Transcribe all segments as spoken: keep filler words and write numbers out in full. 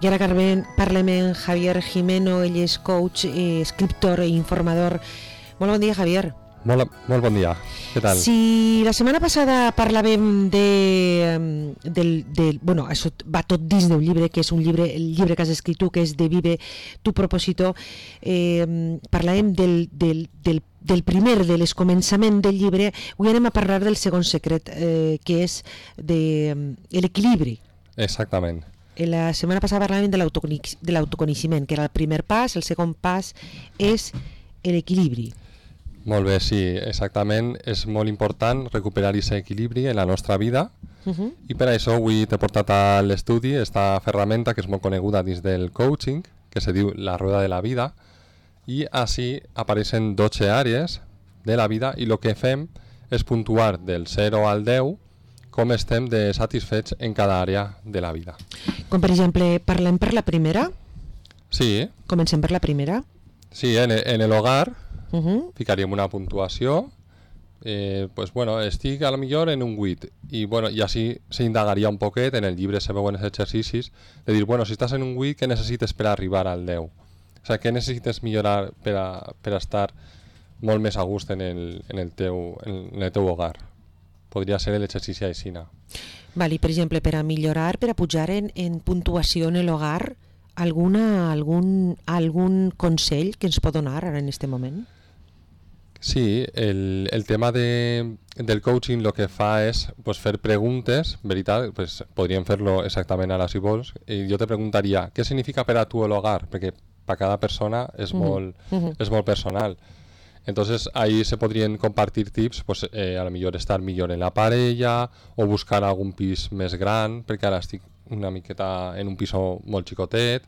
I ara parlem amb Javier Jimeno, ell és coach, eh, escriptor i informador. Molt bon dia, Javier. Molt, molt bon dia, què tal? Si la setmana passada parlàvem de, del, del, bueno, això va tot dins d'un llibre, que és un llibre, el llibre que has escrit tu, que és de Vive tu propósito, eh, parlàvem del, del, del, del primer, de l'escomençament del llibre. Avui anem a parlar del segon secret, eh, que és de, l'equilibri. Exactament. La setmana passada parlàvem de l'autoconeixement, que era el primer pas. El segon pas és l'equilibri. Molt bé, sí, exactament. És molt important recuperar aquest equilibri en la nostra vida uh-huh. i per això avui t'he portat a l'estudi esta ferramenta que és molt coneguda dins del coaching, que se diu la rueda de la vida, i així apareixen dotze àrees de la vida i el que fem és puntuar del zero al deu com estem de satisfets en cada àrea de la vida. Com per exemple, parlem per la primera? Sí. Comencem per la primera? Sí, en, en l'hogar uh-huh. ficaríem una puntuació, eh, pues bueno, estic a lo millor en un vuit, i bueno, i així s'indagaria un poquet, en el llibre se veuen els exercicis, de dir, bueno, si estàs en un vuit, què necessites per arribar al deu? O sigui, què necessites millorar per a, per a estar molt més a gust en el, en el, teu, en el teu hogar? Podria ser l'exercici aixina. Val, i per exemple, per a millorar, per a pujar en, en puntuació en l'hogar, alguna, algun, algun consell que ens pot donar ara en aquest moment? Sí, el, el tema de, del coaching lo que fa és pues, fer preguntes, veritat, pues, podríem fer-lo exactament ara si vols, i jo te preguntaria, què significa per a tu l'hogar? Perquè per cada persona és, uh-huh. molt, uh-huh. és molt personal. Entonces ahí se podrían compartir tips, pues eh, a lo millor estar millor en la parella o buscar algun pis més gran, perquè ara estic una miqueta en un piso molt xicotet,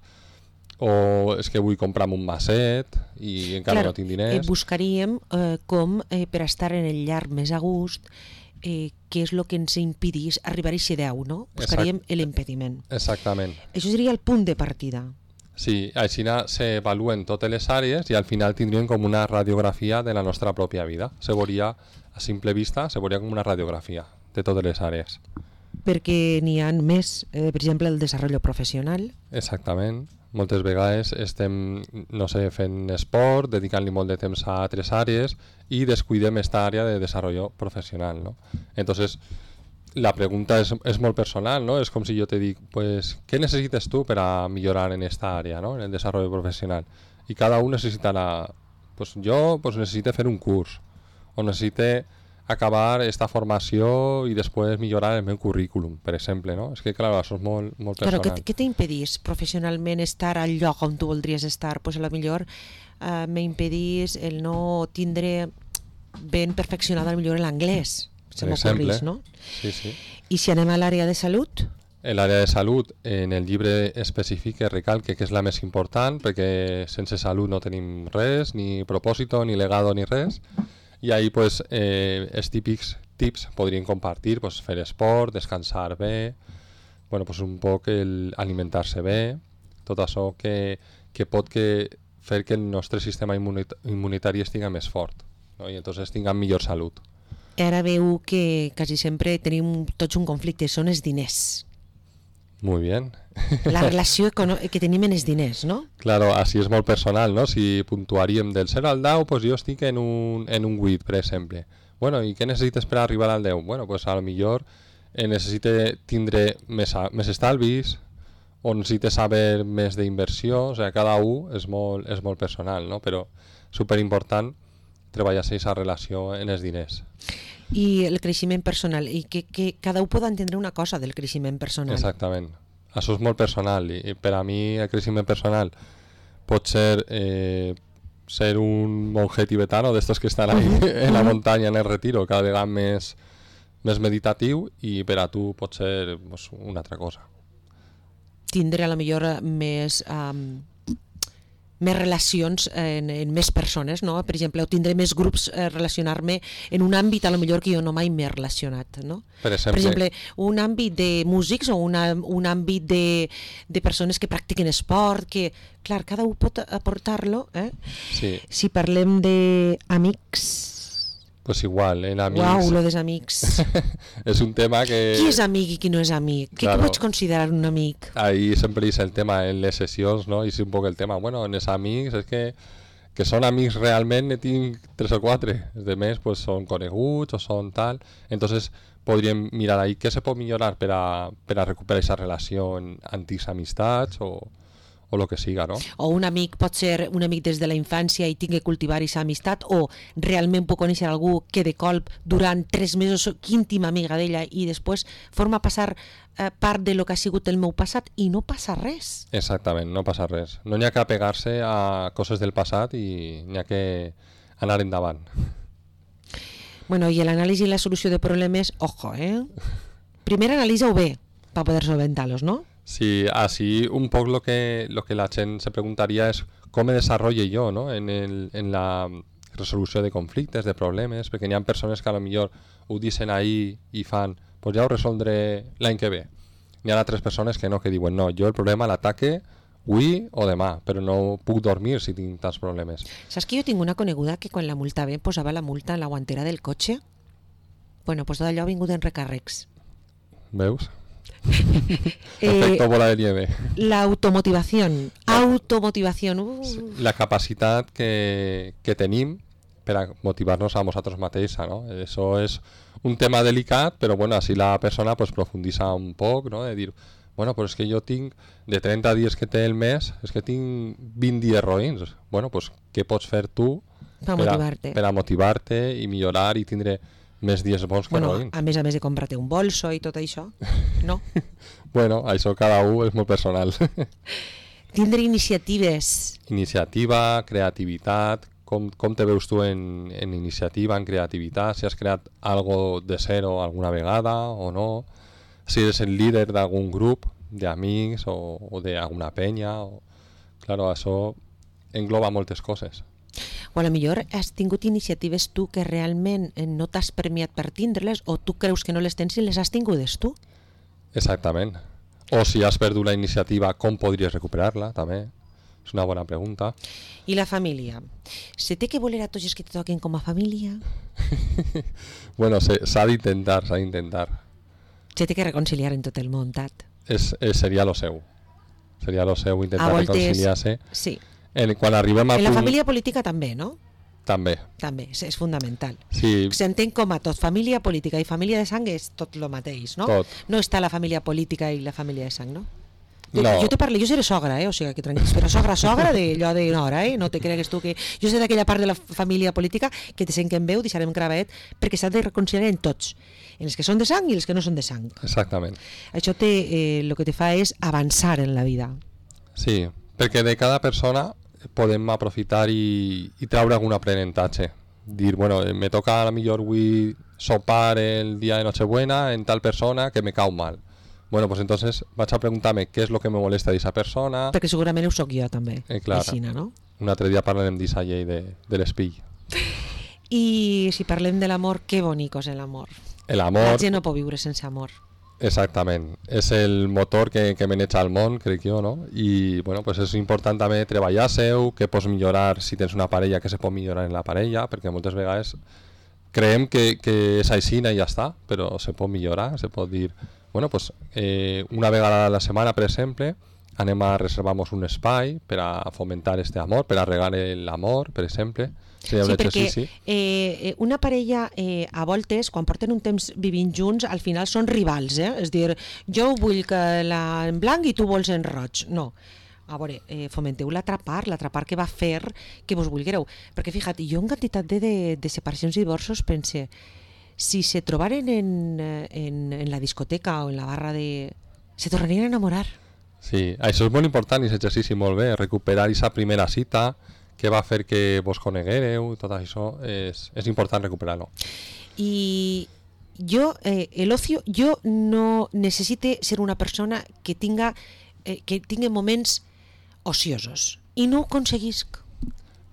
o és que vull comprar un maset i encara Clar, no tinc diners. Eh, buscaríem eh, com eh, per estar en el llar més a gust, eh, què és el que ens impedís arribar a aquest deu, no? Buscaríem Exact. l'impediment. Exactament. Això seria el punt de partida. Sí, així s'avaluen totes les àrees i al final tindríem com una radiografia de la nostra pròpia vida. Se veuria, a simple vista, se veuria com una radiografia de totes les àrees. Perquè n'hi ha més, eh, per exemple, el desenvolupament professional. Exactament. Moltes vegades estem, no sé, fent esport, dedicant-li molt de temps a altres àrees i descuidem esta àrea de desenvolupament professional, ¿no? Entonces, la pregunta és, és molt personal, ¿no? És com si jo te dic, pues, què necessites tu per a millorar en esta àrea, ¿no? En el desenvolupament professional. I cada un necessitarà, pues jo pues, necessite fer un curs, o necessite acabar esta formació i després millorar el meu currículum, per exemple, no? És que, clar, això és molt, molt personal. Claro, què t'impedís professionalment estar al lloc on tu voldries estar? Pues a lo millor eh, m'impedís el no tindre ben perfeccionat a lo millor l'anglès. Se m'ocorrís, no? Sí, sí. I si anem a l'àrea de salut? L'àrea de salut, en el llibre especifica, recalque que és la més important, perquè sense salut no tenim res, ni propòsito, ni legado, ni res. I ahí, pues, eh, els típics tips podrien compartir, pues, fer esport, descansar bé, bueno, pues, un poc el alimentar-se bé, tot això que, que pot que fer que el nostre sistema immunita- immunitari estigui més fort, no? I entonces tinguem millor salut. Ara veu que quasi sempre tenim tots un conflicte, són els diners. Muy bien. La relació que tenim en els diners, no? Claro, així és molt personal, no? Si puntuaríem del zero al deu, pues jo estic en un, en un vuit, per exemple. Bueno, i què necessites per arribar al deu? Bueno, pues a lo millor eh, necessite tindre més, més estalvis o necessite saber més d'inversió, o sigui, cada un és molt, és molt personal, no? Però superimportant treballar aquesta relació en els diners. I el creixement personal, i que, que cada un pot entendre una cosa del creixement personal. Exactament. Això és molt personal i per a mi el creixement personal pot ser eh, ser un monje tibetano d'estos que estan ahí en la muntanya, en el retiro, cada vegada més, més meditatiu, i per a tu pot ser pues, una altra cosa. Tindre a la millor més... Um, més relacions en, en més persones, no? Per exemple, o tindré més grups, eh, relacionar-me en un àmbit a lo millor que jo no mai m'he relacionat, no? Per exemple, per exemple un àmbit de músics o una, un àmbit de, de persones que practiquen esport, que, clar, cada un pot aportar-lo, eh? Sí. Si parlem d'amics, Pues igual, en amics... Uau, lo dels amics. És un tema que... Qui és amic i qui no és amic? Què Claro. pots considerar un amic? Ahí sempre és el tema en les sessions, no? I és un poc el tema, bueno, en els amics és que que són amics realment ne tinc tres o quatre, els altres pues, són coneguts o són tal, entonces podríem mirar ahí què se pot millorar per a, per a recuperar aquesta relació en antics amistats o, o lo que siga, no? O un amic pot ser un amic des de la infància i tingui que cultivar aquesta amistat, o realment puc conèixer algú que de colp durant tres mesos soc íntima amiga d'ella i després forma passar eh, part de lo que ha sigut el meu passat i no passa res. Exactament, no passa res. No n'hi ha que apegar-se a coses del passat i n'hi ha que anar endavant. Bueno, i l'anàlisi i la solució de problemes, ojo, eh? Primer analitza-ho bé per poder solventar-los, no? Sí, así un poco lo que, lo que la gent se preguntaría es cómo me desarrolle yo, ¿no? en, el, en la resolució de conflictes, de problemes, perquè n'hi ha persones que a lo millor ho dicen ahí i fan, pues ja ho resoldré l'any que ve. N'hi ha altres persones que no, que diuen, no, jo el problema l'ataque avui o demà, però no puc dormir si tinc tants problemes. Saps que jo tinc una coneguda que quan la multava em posava la multa en la guantera del cotxe? Bueno, pues tot allò ha vingut en recàrrecs. Veus? Eh, Efecto bola de nieve. La automotivación, automotivación. Uh. La capacitat que, que tenim per a motivar-nos a nosaltres mateixa, no? Això és un tema delicat, però bueno, així la persona pues, profunditza un poc, no? De dir, bueno, però és que jo tinc, de trenta dies que té el mes, és que tinc vint dies roïns. Bueno, pues, què pots fer tu per motivar-te per a motivar-te i millorar i tindre més dies bons que bueno, roïns? A més a més de comprar-te un bolso i tot això, no? Bueno, això cada un és molt personal. Tindre iniciatives. Iniciativa, creativitat, com, com te veus tu en, en iniciativa, en creativitat, si has creat algo de zero alguna vegada o no, si eres el líder d'algun grup d'amics o, o d'alguna penya, o... Claro, això engloba moltes coses. O a lo millor has tingut iniciatives tu que realment no t'has premiat per tindre-les, o tu creus que no les tens i les has tingudes tu. Exactament. O si has perdut la iniciativa, com podries recuperar-la, també? És una bona pregunta. I la família? Se té que voler a tots els que te toquen com a família? Bueno, s'ha d'intentar, s'ha d'intentar. Se té que reconciliar en tot el món, Tat. És, és, seria lo seu. Seria lo seu intentar voltes, reconciliar-se. Sí. En, quan arribem a en la punt... família política també, no? També. També, és, és fundamental. Sí. S'entén com a tot. Família política i família de sang és tot el mateix, no? Tot. No està la família política i la família de sang, no? Jo, No. jo te parlo, jo seré sogra, eh? O sigui, que tranquils, però sogra, sogra d'allò de nora, eh? No te cregues tu que... Jo sé d'aquella part de la família política que te sent que en veu, deixarem gravat, perquè s'ha de reconciliar en tots, en els que són de sang i els que no són de sang. Exactament. Això té, eh, el que te fa és avançar en la vida. Sí, perquè de cada persona podem aprofitar i, i treure algun aprenentatge. Dir, bueno, me toca a la millor avui sopar el dia de Nochebuena en tal persona que me cau mal. Bueno, pues entonces vaig a preguntar-me què és el que me molesta d'esa persona. Perquè segurament ho soc jo també, Eh, clar. Aixina, no? Un altre dia parlarem d'esa llei de, de l'espill. I si parlem de l'amor, que bonic és l'amor. La L'amor, gent no pot viure sense amor. exactament, és el motor que, que maneja el món, crec jo, no? I bueno, pues és important també treballar-seu, que pots millorar si tens una parella, que se pot millorar en la parella, perquè moltes vegades creiem que, que és aixina i ja està, però se pot millorar, se pot dir, bueno, pues eh, una vegada a la setmana, per exemple, anem a reservar-nos un espai per a fomentar este amor, per a regar l'amor, per exemple. Seria un Sí, perquè exercici. eh, una parella eh, a voltes, quan porten un temps vivint junts, al final són rivals, eh? És dir, jo vull que la en blanc i tu vols en roig. No. A veure, eh, fomenteu l'altra part, l'altra part que va fer que vos vulguereu. Perquè, fixa't, jo en quantitat de, de, de separacions i divorços pense, si se trobaren en, en, en la discoteca o en la barra de... se tornarien a enamorar. Sí, això és molt important i és exercici molt bé, recuperar aquesta primera cita, què va fer que vos coneguereu, tot això és, és important recuperar-lo. I jo, eh, el ocio, jo no necessite ser una persona que tinga, eh, que tingui moments ociosos i no ho aconseguisc.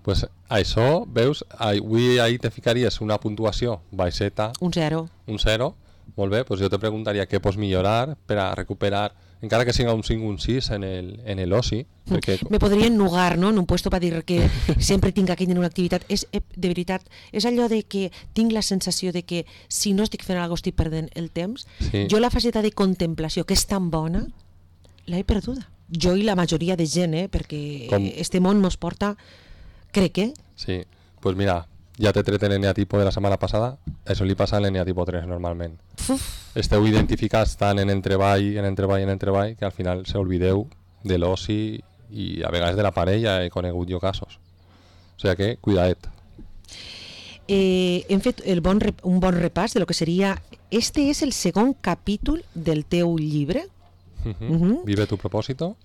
Pues això, veus, avui ahí te ficaries una puntuació baixeta, Un zero. un zero, molt bé, pues jo te preguntaria què pots millorar per a recuperar encara que siga un cinc o un sis en el, en el oci. Perquè... Me podria ennugar, no?, en un puesto per dir que sempre tinc aquí en una activitat. És, de veritat, és allò de que tinc la sensació de que si no estic fent alguna cosa estic perdent el temps. Sí. Jo la faceta de contemplació, que és tan bona, l'he perduda. Jo i la majoria de gent, eh, perquè Com... este món mos porta, crec, eh? Sí, pues mira, ja t'he tret l'eneatipo de la setmana passada, això li passa a l'eneatipo tres normalment. Uf. Esteu identificats tant en el treball, en el treball, en el treball, que al final s'oblideu de l'oci i a vegades de la parella, he conegut jo casos. O sigui que, cuidaet. Eh, hem fet el bon rep, un bon repàs de lo que seria... Este és el segon capítol del teu llibre. Uh-huh. Uh-huh. Vive tu propósito.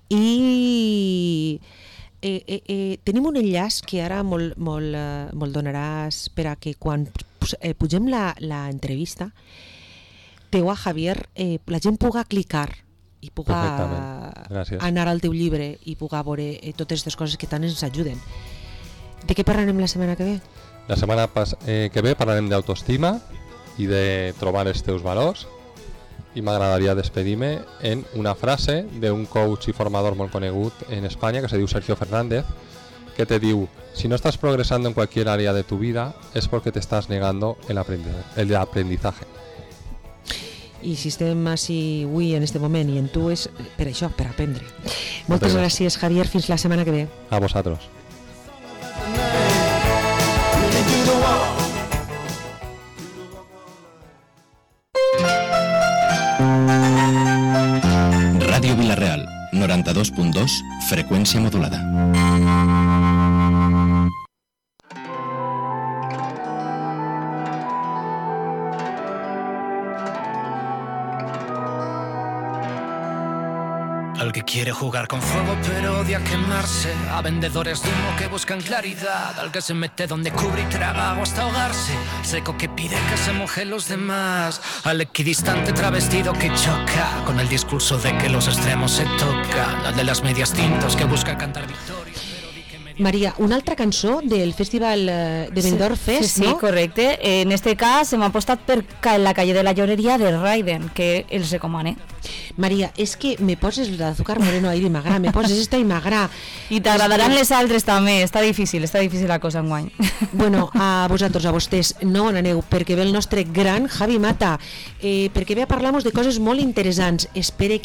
I... Eh, eh, eh, tenim un enllaç que ara molt, molt, eh, molt donaràs per a que quan eh, pugem la, la entrevista teu a Javier, eh, la gent puga clicar i puga anar al teu llibre i puga veure eh, totes aquestes coses que tant ens ajuden. De què parlarem la setmana que ve? La setmana pas, eh, que ve parlarem d'autoestima i de trobar els teus valors, i m'agradaria despedir-me en una frase d'un coach i formador molt conegut en Espanya que se diu Sergio Fernández, que te diu: si no estás progresando en cualquier área de tu vida es porque te estás negando el aprendizaje. I si estem així avui en este moment i en tu és per això, per aprendre. Moltes gràcies, Javier, fins la setmana que ve. A vosaltres. Ràdio Vila-real, noranta-dos punt dos, freqüència modulada. Al que quiere jugar con fuego pero odia quemarse, a vendedores de humo que buscan claridad, al que se mete donde cubre y traga agua hasta ahogarse, seco que pide que se mojen los demás, al equidistante travestido que choca con el discurso de que los extremos se tocan, al de las medias tintas que busca cantar victoria. Maria, una altra cançó del Festival de Benidorm Fest, sí, sí, no? Sí, correcte. En este cas hem apostat per La calle de la lloreria de Raiden, que els recomane. Maria, és que me poses l'azúcar moreno ahir i m'agrada, me poses esta i m'agrada. I t'agradaran les altres també, està difícil, està difícil la cosa enguany. Bueno, a vosaltres, a vostès, no on aneu, perquè ve el nostre gran Javi Mata, eh, perquè ve a parlar-nos de coses molt interessants. Espere